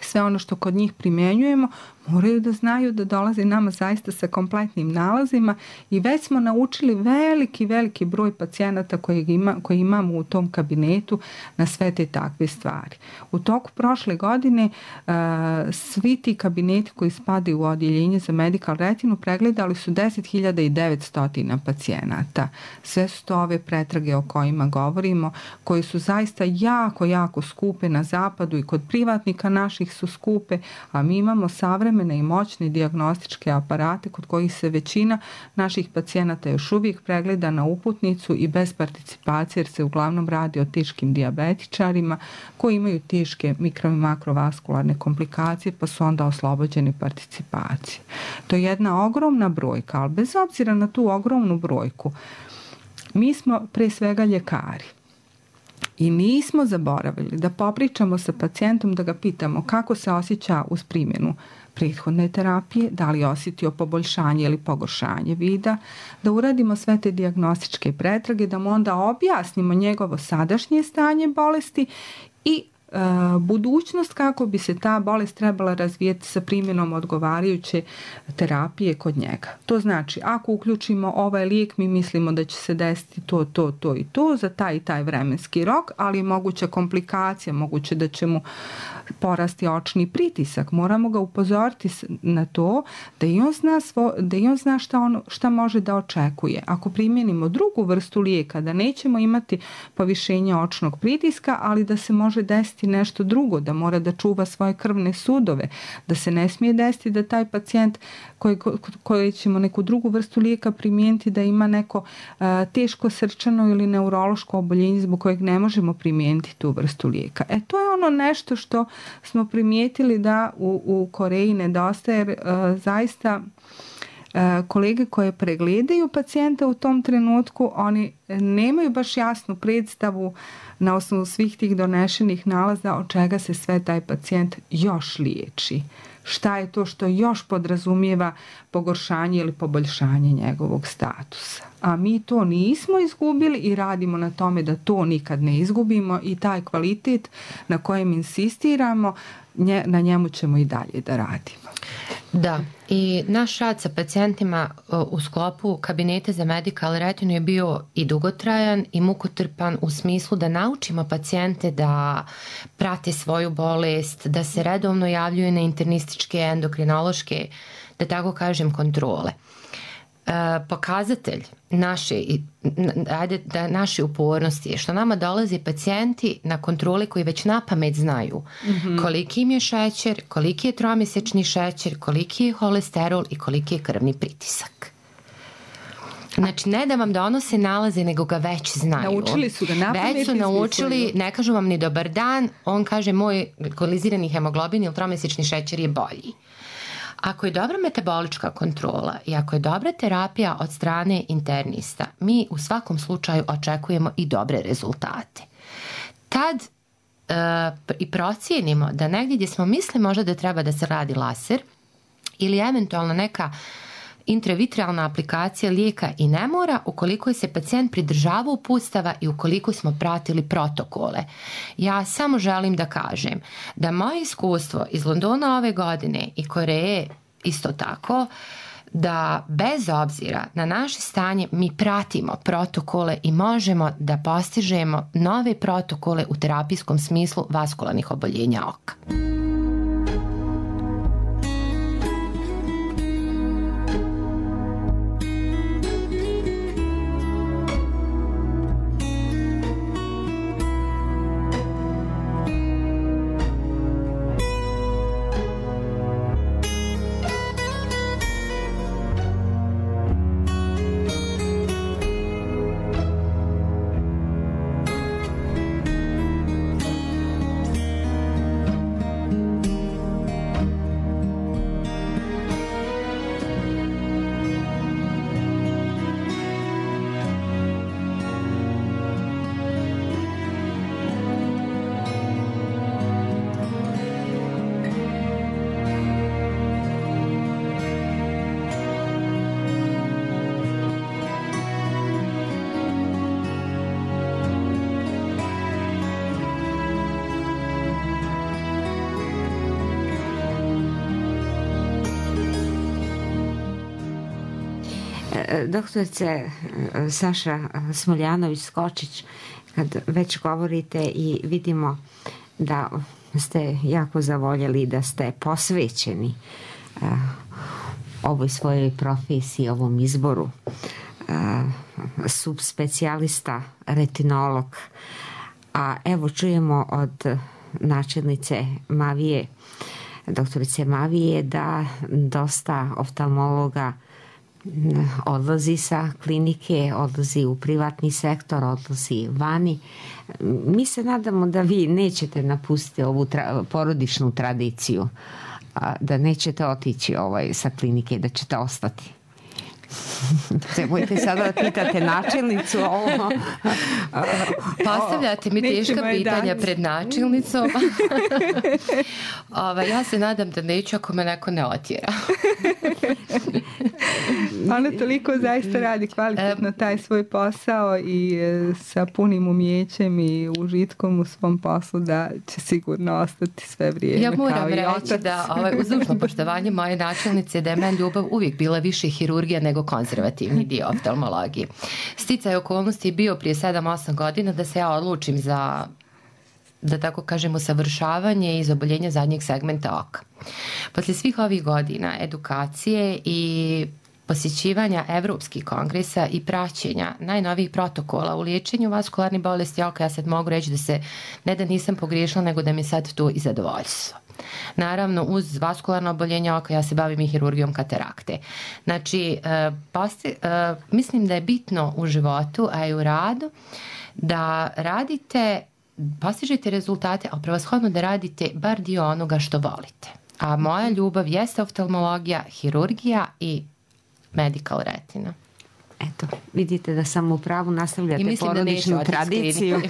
sve ono što kod njih primenjujemo, moraju da znaju da dolaze nama zaista sa kompletnim nalazima i već smo naučili veliki broj pacijenata koji imamo u tom kabinetu na sve te takve stvari. U toku prošle godine svi ti kabineti koji spadaju u odjeljenje za medical retinu pregledali su 10.900 pacijenata. Sve su to ove pretrage o kojima govorimo, koje su zaista jako skupe na zapadu i kod privatnika naših su skupe, a mi imamo savremene i moćne dijagnostičke aparate kod kojih se većina naših pacijenata još uvijek pregleda na uputnicu i bez participacije, jer se uglavnom radi o teškim dijabetičarima koji imaju teške mikro- i makrovaskularne komplikacije pa su onda oslobođeni participacije. To je jedna ogromna brojka, ali bez obzira na tu ogromnu brojku, mi smo pre svega ljekari. I nismo zaboravili da popričamo sa pacijentom, da ga pitamo kako se osjeća uz primjenu prethodne terapije, da li je osjetio poboljšanje ili pogoršanje vida, da uradimo sve te dijagnostičke pretrage, da mu onda objasnimo njegovo sadašnje stanje bolesti i budućnost kako bi se ta bolest trebala razvijeti sa primjenom odgovarajuće terapije kod njega. To znači, ako uključimo ovaj lijek, mi mislimo da će se desiti to i to za taj i taj vremenski rok, ali je moguća komplikacija, moguće da će mu porasti očni pritisak. Moramo ga upozoriti na to da i on zna šta može da očekuje. Ako primjenimo drugu vrstu lijeka, da nećemo imati povišenje očnog pritiska, ali da se može desiti nešto drugo, da mora da čuva svoje krvne sudove, da se ne smije desiti da taj pacijent koji ćemo neku drugu vrstu lijeka primijeniti da ima neko teško srčano ili neurološko oboljenje zbog kojeg ne možemo primijeniti tu vrstu lijeka. To je ono nešto što smo primijetili da u Koreji nedostaje, jer zaista kolege koje pregledaju pacijenta u tom trenutku, oni nemaju baš jasnu predstavu na osnovu svih tih donešenih nalaza od čega se sve taj pacijent još liječi. Šta je to što još podrazumijeva pogoršanje ili poboljšanje njegovog statusa. A mi to nismo izgubili i radimo na tome da to nikad ne izgubimo i taj kvalitet na kojem insistiramo, na njemu ćemo i dalje da radimo.
Da, i naš rad sa pacijentima u sklopu kabineta za medical retinu je bio i dugotrajan i mukotrpan u smislu da naučimo pacijente da prate svoju bolest, da se redovno javljaju na internističke, endokrinološke, da tako kažem, kontrole. Pokazatelj naše upornosti je što nama dolaze pacijenti na kontrole koji već napamet znaju koliki im je šećer, koliki je tromjesečni šećer, koliki je holesterol i koliki je krvni pritisak. Znači, ne da vam donose nalaze, nego ga već znaju.
Naučili su ga napamet.
Već su naučili, ne kažu vam ni dobar dan, on kaže moj glikalizirani hemoglobin ili tromjesečni šećer je bolji. Ako je dobra metabolička kontrola i ako je dobra terapija od strane internista, mi u svakom slučaju očekujemo i dobre rezultate. Tad i procijenimo da negdje gdje smo mislili možda da treba da se radi laser ili eventualno neka intravitrealna aplikacija lijeka i ne mora ukoliko je se pacijent pridržavao uputstava i ukoliko smo pratili protokole. Ja samo želim da kažem da moje iskustvo iz Londona ove godine i Koreje isto tako, da bez obzira na naše stanje mi pratimo protokole i možemo da postižemo nove protokole u terapijskom smislu vaskularnih oboljenja oka.
Doktorice Saša Smoljanović-Skočić, kad već govorite i vidimo da ste jako zavoljeli, da ste posvećeni ovoj svojoj profesiji, ovom izboru, subspecijalista, retinolog, a evo čujemo od načelnice Mavije, doktorice Mavije, da dosta oftalmologa odlazi sa klinike, odlazi u privatni sektor, odlazi vani. Mi se nadamo da vi nećete napustiti ovu porodičnu tradiciju, da nećete otići sa klinike, da ćete ostati. Trebojte sada da pitate načelnicu ovo.
Postavljate mi teška pitanja pred načelnicom. Ja se nadam da neću ako me neko ne otjera.
Ona toliko zaista radi kvalitetno taj svoj posao i sa punim umijećem i užitkom u svom poslu da će sigurno ostati sve vrijeme.
Ja moram reći da uz dužno poštovanje moje načelnice da je meni ljubav uvijek bila više hirurgija nego konzervativni dio oftalmologije. Sticaj okolnosti je bio prije 7-8 godina da se ja odlučim za, da tako kažem, usavršavanje i zaboljenje zadnjeg segmenta oka. Poslije svih ovih godina edukacije i posjećivanja evropskih kongresa i praćenja najnovijih protokola u liječenju vaskularnih bolesti oka, ja sad mogu reći da se ne da nisam pogriješila, nego da mi sad to i zadovoljstvo. Naravno, uz vaskularno oboljenje oka ja se bavim i hirurgijom katarakte. Znači, mislim da je bitno u životu, a i u radu, da radite, postižete rezultate, a prevashodno da radite bar dio onoga što volite. A moja ljubav jeste oftalmologija, hirurgija i medical retina.
Eto, vidite da sam u pravu, nastavljate porodičnu tradiciju.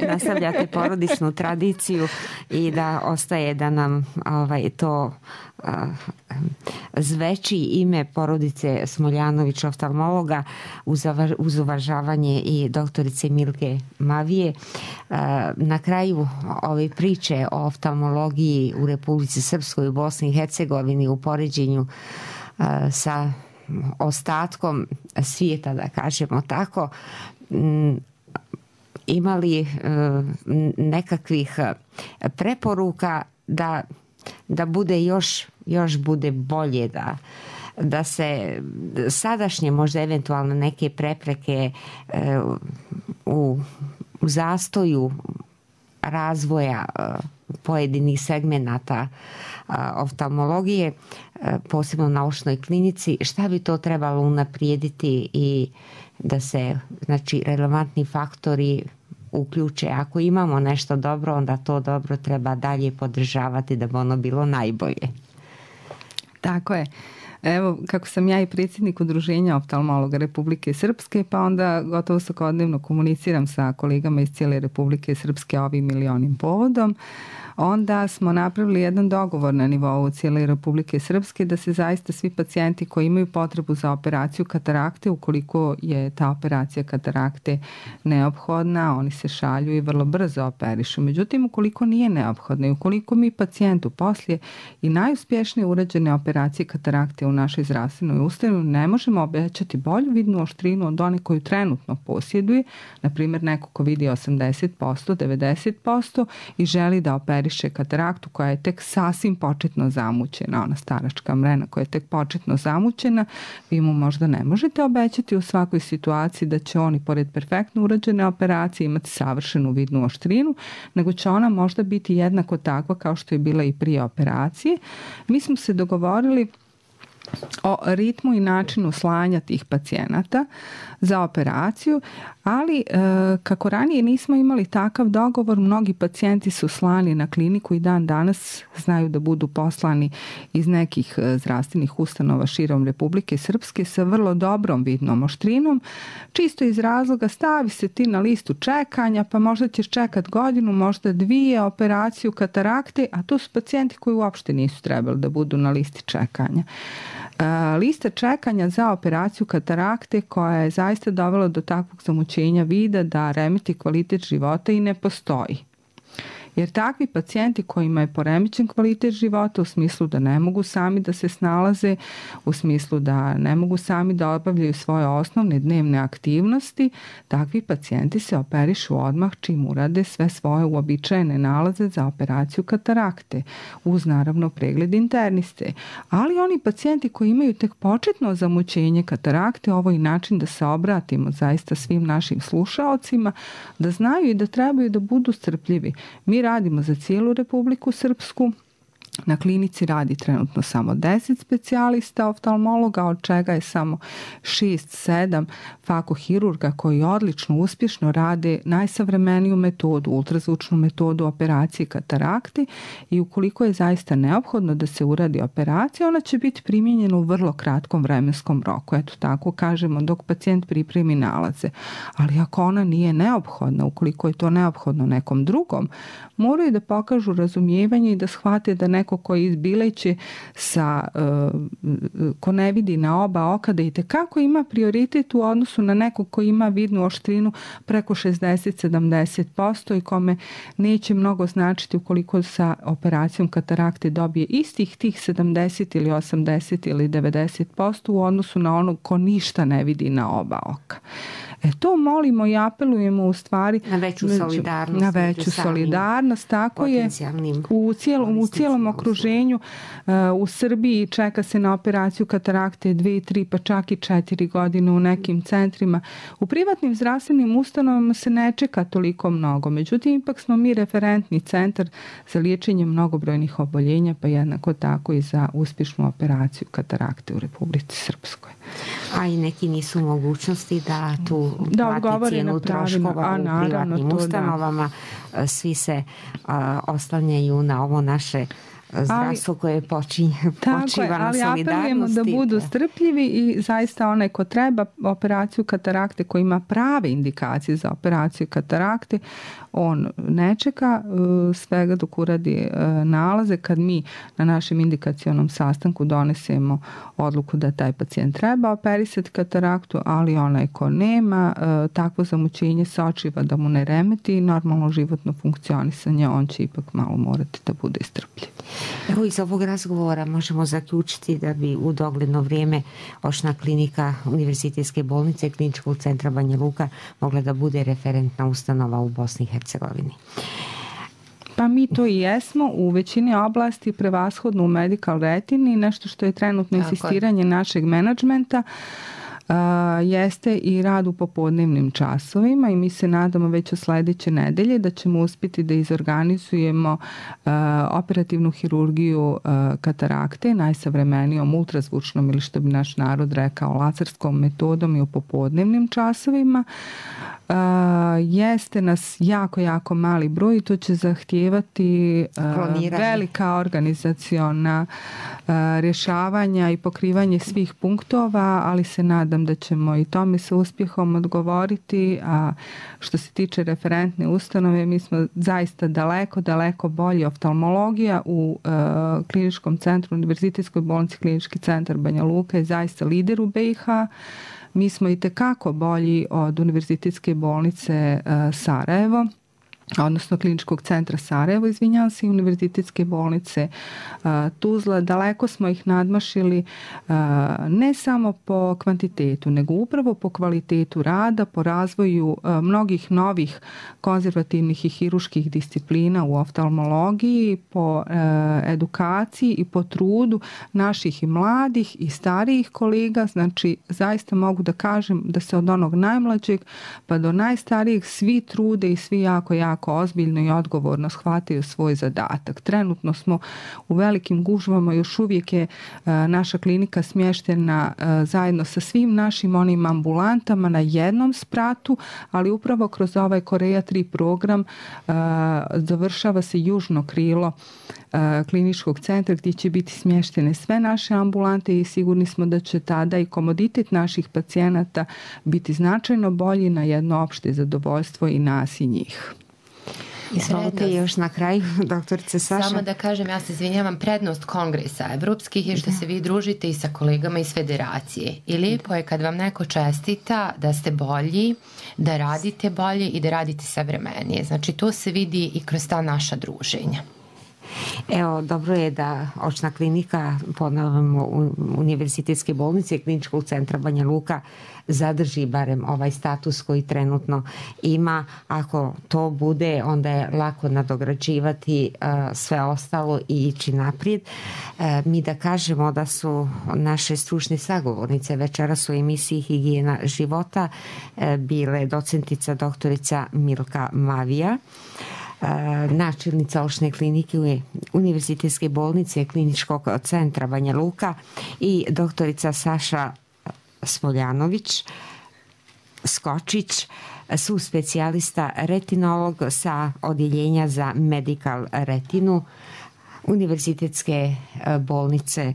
Nastavljate porodičnu tradiciju i da ostaje da nam to zveči ime porodice Smoljanović, oftalmologa, uz uvažavanje i doktorice Milke Mavije. Na kraju ove priče o oftalmologiji u Republici Srpskoj, u Bosni i Hercegovini, u poređenju sa ostatkom svijeta, da kažemo tako, imali nekakvih preporuka da bude još bude bolje, da se sadašnje možda eventualno neke prepreke u zastoju razvoja pojedinih segmenata oftalmologije, posebno u naučnoj klinici, šta bi to trebalo unaprijediti i da se, znači, relevantni faktori uključe. Ako imamo nešto dobro, onda to dobro treba dalje podržavati da bi ono bilo najbolje.
Tako je. Evo, kako sam ja i predsjednik Udruženja oftalmologa Republike Srpske, pa onda gotovo svakodnevno komuniciram sa kolegama iz cijele Republike Srpske ovim ili onim povodom, onda smo napravili jedan dogovor na nivou cijele Republike Srpske da se zaista svi pacijenti koji imaju potrebu za operaciju katarakte, ukoliko je ta operacija katarakte neophodna, oni se šalju i vrlo brzo operišu. Međutim, ukoliko nije neophodna i ukoliko mi pacijentu poslije i najuspješnije urađene operacije katarakte u našoj zdravstvenoj ustanovi ne možemo obećati bolju vidnu oštrinu od one koju trenutno posjeduje, na primjer neko ko vidi 80%, 90% i želi da operiše kataraktu koja je tek sasvim početno zamućena, ona staračka mrena koja je tek početno zamućena, vi mu možda ne možete obećati u svakoj situaciji da će oni pored perfektno urađene operacije imati savršenu vidnu oštrinu, nego će ona možda biti jednako takva kao što je bila i prije operacije. Mi smo se dogovorili o ritmu i načinu slanja tih pacijenata za operaciju, ali kako ranije nismo imali takav dogovor, mnogi pacijenti su slani na kliniku i dan danas znaju da budu poslani iz nekih zdravstvenih ustanova širom Republike Srpske sa vrlo dobrom vidnom oštrinom, čisto iz razloga stavi se ti na listu čekanja, pa možda ćeš čekat godinu, možda 2 operaciju katarakte, a to su pacijenti koji uopšte nisu trebali da budu na listi čekanja. Lista čekanja za operaciju katarakte koja je zaista dovela do takvog zamućenja vida da remeti kvalitet života i ne postoji. Jer takvi pacijenti kojima je poremećen kvalitet života u smislu da ne mogu sami da se snalaze, u smislu da ne mogu sami da obavljaju svoje osnovne dnevne aktivnosti, takvi pacijenti se operišu odmah čim urade sve svoje uobičajene nalaze za operaciju katarakte, uz naravno pregled interniste. Ali oni pacijenti koji imaju tek početno zamućenje katarakte, ovo je način da se obratimo zaista svim našim slušaocima, da znaju i da trebaju da budu strpljivi. Mi radimo za cijelu Republiku Srpsku. Na klinici radi trenutno samo 10 specijalista oftalmologa, od čega je samo 6-7 fakohirurga koji odlično, uspješno rade najsavremeniju metodu, ultrazvučnu metodu operacije katarakte, i ukoliko je zaista neophodno da se uradi operacija, ona će biti primijenjena u vrlo kratkom vremenskom roku. Eto tako kažemo, dok pacijent pripremi nalaze. Ali ako ona nije neophodna, ukoliko je to neophodno nekom drugom, moraju da pokažu razumijevanje i da shvate da neko koji izbileće ko ne vidi na oba oka, da itekako ima prioritet u odnosu na nekog koji ima vidnu oštrinu preko 60-70% i kome neće mnogo značiti ukoliko sa operacijom katarakte dobije istih tih 70 ili 80 ili 90% u odnosu na onog ko ništa ne vidi na oba oka. To molimo i apelujemo u stvari
na veću solidarnost.
Na veću solidarnost, tako je. U cijelom okruženju u Srbiji čeka se na operaciju katarakte 2, 3 pa čak i 4 godine u nekim centrima. U privatnim zdravstvenim ustanovama se ne čeka toliko mnogo. Međutim, ipak smo mi referentni centar za liječenje mnogobrojnih oboljenja, pa jednako tako i za uspješnu operaciju katarakte u Republici Srpskoj.
A i neki nisu mogućnosti da tu plati cijenu troškova u privatnim ustanovama. Svi se oslanjaju na ovo naše zdravstvo koje počiva na solidarnosti.
Ali apelujemo da budu strpljivi i zaista onaj ko treba operaciju katarakte, ko ima prave indikacije za operaciju katarakte, on ne čeka svega dok uradi nalaze. Kad mi na našem indikacionom sastanku donesemo odluku da taj pacijent treba operisati kataraktu, ali onaj ko nema takvo zamućenje sočiva da mu ne remeti normalno životno funkcionisanje, on će ipak malo morati da bude strpljiv.
Evo, iz ovog razgovora možemo zaključiti da bi u dogledno vrijeme očna klinika Univerzitetske bolnice Kliničkog centra Banja Luka mogla da bude referentna ustanova u Bosni i Hercegovini.
Pa mi to i jesmo u većini oblasti, prevashodno u medical retini, nešto što je trenutno insistiranje našeg menadžmenta. Jeste i rad u popodnevnim časovima i mi se nadamo već od sljedeće nedelje da ćemo uspjeti da izorganizujemo operativnu hirurgiju katarakte najsavremenijom ultrazvučnom ili što bi naš narod rekao laserskom metodom i u popodnevnim časovima. Jeste nas jako mali broj i to će zahtijevati velika organizaciona rješavanja i pokrivanje svih punktova, ali se nadam da ćemo i tome sa uspjehom odgovoriti. A što se tiče referentne ustanove, mi smo zaista daleko bolji. Oftalmologija u kliničkom centru Univerzitetskoj bolnici Klinički centar Banja Luka je zaista lider u BiH. Mi smo i tekako bolji od Univerzitetske bolnice Sarajevo, odnosno Kliničkog centra Sarajevo, i Univerzitetske bolnice Tuzla. Daleko smo ih nadmašili ne samo po kvantitetu, nego upravo po kvalitetu rada, po razvoju mnogih novih konzervativnih i hiruških disciplina u oftalmologiji, po edukaciji i po trudu naših i mladih i starijih kolega. Znači, zaista mogu da kažem da se od onog najmlađeg pa do najstarijih svi trude i svi jako ozbiljno i odgovorno shvataju svoj zadatak. Trenutno smo u velikim gužvama, još uvijek je naša klinika smještena zajedno sa svim našim onim ambulantama na jednom spratu, ali upravo kroz ovaj Korea 3 program završava se južno krilo kliničkog centra gdje će biti smještene sve naše ambulante i sigurni smo da će tada i komoditet naših pacijenata biti značajno bolji na jedno opšte zadovoljstvo i nas i njih.
Izvolite još na kraju, doktorice Saša.
Samo da kažem, ja se izvinjavam, prednost kongresa evropskih je što se vi družite i sa kolegama iz federacije. I lijepo je kad vam neko čestita da ste bolji, da radite bolje i da radite savremenije. Znači, to se vidi i kroz ta naša druženja.
Evo, dobro je da očna klinika, ponavljamo, Univerzitetske bolnice i Kliničkog centra Banja Luka zadrži barem ovaj status koji trenutno ima. Ako to bude, onda je lako nadograđivati sve ostalo i ići naprijed. Mi da kažemo da su naše stručne sagovornice večeras u emisiji Higijena života bile docentica doktorica Milka Mavija, načelnica očne klinike Univerzitetske bolnice Kliničkog centra Banja Luka i doktorica Saša Smoljanović Skočić, su specijalista retinolog sa odjeljenja za medical retinu Univerzitetske bolnice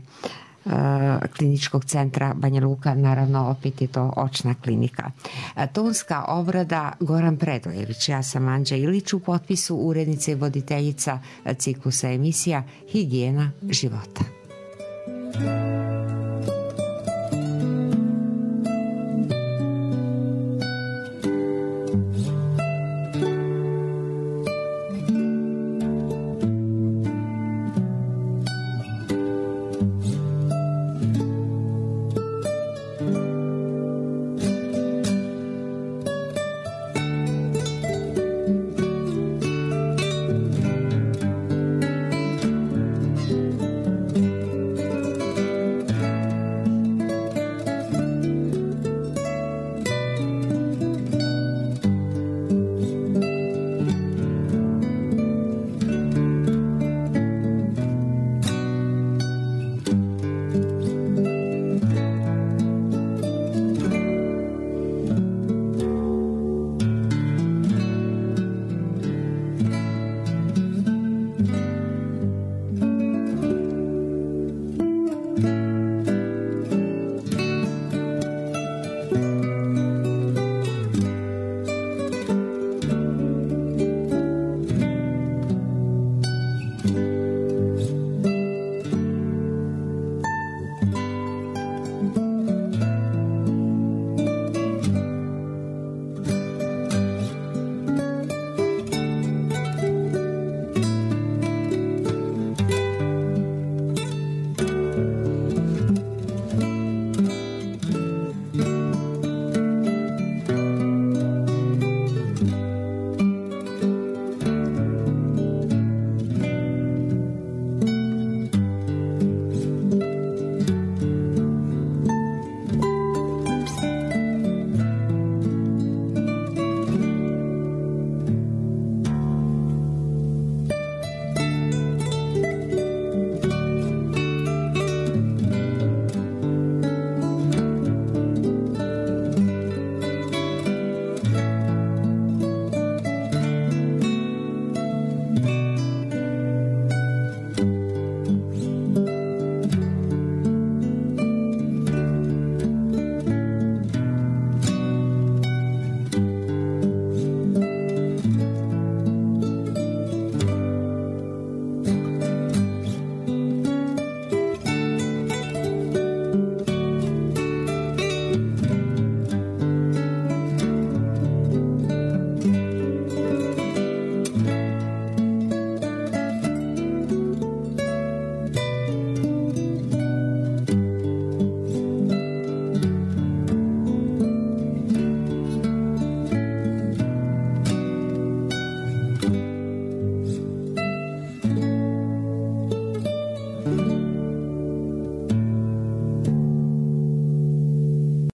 Kliničkog centra Banja Luka, naravno opet je to očna klinika. Tonska obrada Goran Predojević, ja sam Anđa Ilić, u potpisu urednice i voditeljica ciklusa emisija Higijena života.